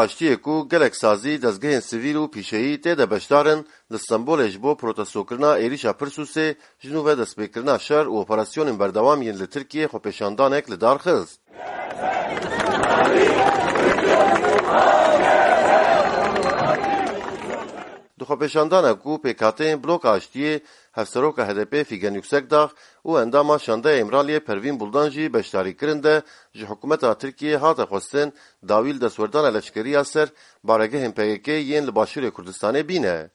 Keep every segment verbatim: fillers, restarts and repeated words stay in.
Aştiyê ku gelek sazî, dezgehên sivîl û pîşeyî tê de beşdar in, li Stenbolê ji bo protestokirina êrîşa Pirsûsê ji nû ve destpêkirina şer û operasyonên berdewam yên li Tirkiyê xwepêşandanek li dar xist. Di xwepêşandana ku pêkhateyên Bloka Aştiyê, Hevseroka H D P Figen Yüksekdağ û endama Şandeya Îmraliyê Pervîn Buldan jî beşdarî kirin de, ji hikûmeta Tirkiyê hate xwestin dawî li destwerdana leşkerî ya ser baregehên P K K yên li Başûrê Kurdistanê bîne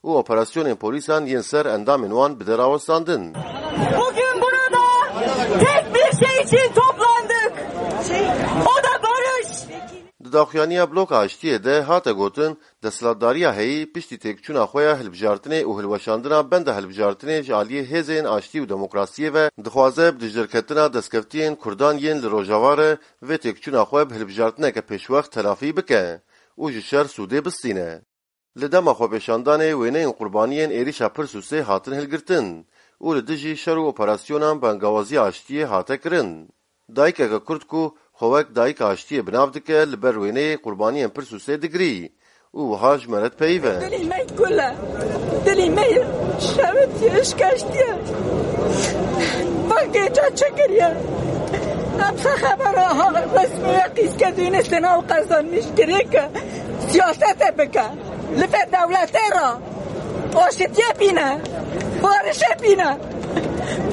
û operasyonên polîsan yên ser endamên wan bide rawestandin. Bugün burada tek bir şey için toplandık. O da barış. Di daxuyaniya Bloka Aştiyê de hate gotin, desthilatdariya heyî piştî têkçûna xwe ya hilbijartinê û hilweşandina benda hilbijartinê ji aliyê hêzên aştî û demokrasiyê ve dixwaze bi dijderketina destkeftiyên Kurdan yên li Rojava re vê têkçûna xwe bi hilbijartineke pêşwext telafî bike û ji şer sûdê bistîne. Li dema xwepêşandanê wêneyên qurbaniyên êrîşa Pirsûsê hatin hilgirtin û li dijî şer û operasyonan bangawaziya aştiyê hate kirin. Dayikeke Kurd ku xwe wek dayika aştiyê bi nav dike, li ber wêneyê qurbaniyên Pirsûsê digirî û wiha ji me re dipeyive. Dilê me kul e. Dilê me şewitiye, şikeştiye. Bak gêca çi kiriye. Em se xebera ha resmiye qîske dûnê sena û qezanmiş girê ke siyasete bike. Li vê dewletê re aşitiyê bîne, barişê bîne.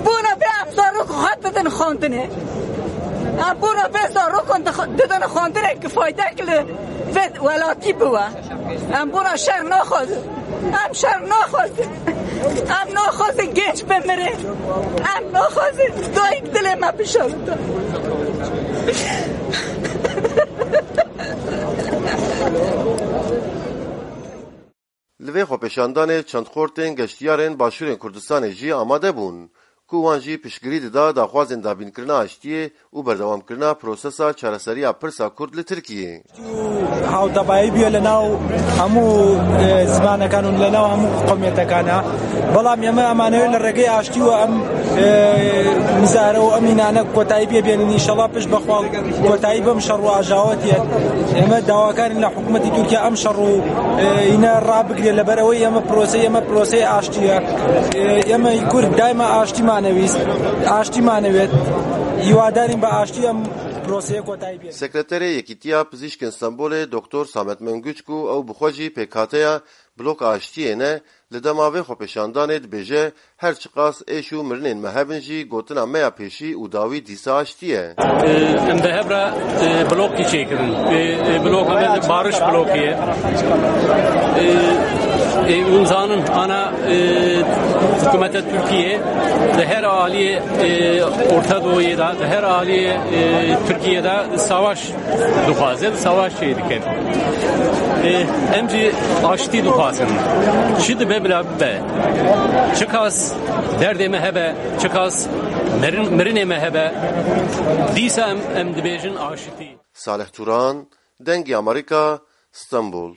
Bona vê em zarok xwe didin xwendinê. Em bona vê zarokan dix-, didin xwendinê ki faydek li vê welatî biwe. Em bona şer naxwazin. Em şer naxwazin. Em naxwazin genç bimirin. Em naxwazin dayik dilê me bişewite. Li vê xwepêşandanê çend xortên geştiyarên Başûrên Kurdistanê jî amade bûn, ku wan jî piştgirî dida daxwazên dabînkirina aştiyê û berdewamkirina prosesa çareseriya pirsa Kurd li Tirkiyê. Hawtebایی بووە لە ناو هەموو، ئێ، زمانەکان و لە ناو هەموو قەومیەتەکانە. بەڵام ئێمە ئەمانەوێت لە ڕێگەی ئاشتی و ئەم، ئێ، مزارە و ئەم ئینانە کۆتایی پێ بێنین. ئینشەڵا پشت بەخوا کۆتایی بەم شەڕ و ئاژاوەتیە. ئێمە داواکارین لە حکوومەتی تورکیا ئەم شەڕ و، ئێ، ئینە ڕابگرێت، لەبەر ئەوەی ئێمە پرۆسەی، ئێمە پرۆسەی ئاشتیە. ئێ، ئێمە کورد دایمە ئاشتیمانەویست، ئاشتیمانەوێت. هیوادارین بە ئاشتی ئەم پرۆسەیە کۆتایی پێ. Sekreterê Yekîtiya Pizîşkên Stenbolê Doktor Samet Mengüç ku ew bi xwe jî pêkhateya Bloka Aştiyê ne, li dema vê xwepêşandanê dibêje, her çiqas êş û mirinên me hebin jî gotina me ya pêşî û dawî dîsa aştî ye. Em bi hev re, e, blokî çêkirin. E, e, bloka me barış blokî ye. E, e, hûn zanin, ana, e, hikûmeta Tirkiyê di her aliyê, e, Orta Doğuyê de, di her aliyê, e, Tirkiyê de savaş dixwaze, savaş çê dike. E, em jî aştî dixwazin. Çi dibe bila bibe. Çiqas derdê me hebe, çiqas mirin-, mirinê me hebe, dîsa em, em dibêjin aştî. Salih Turan, Dengê Amerîka, Stenbol.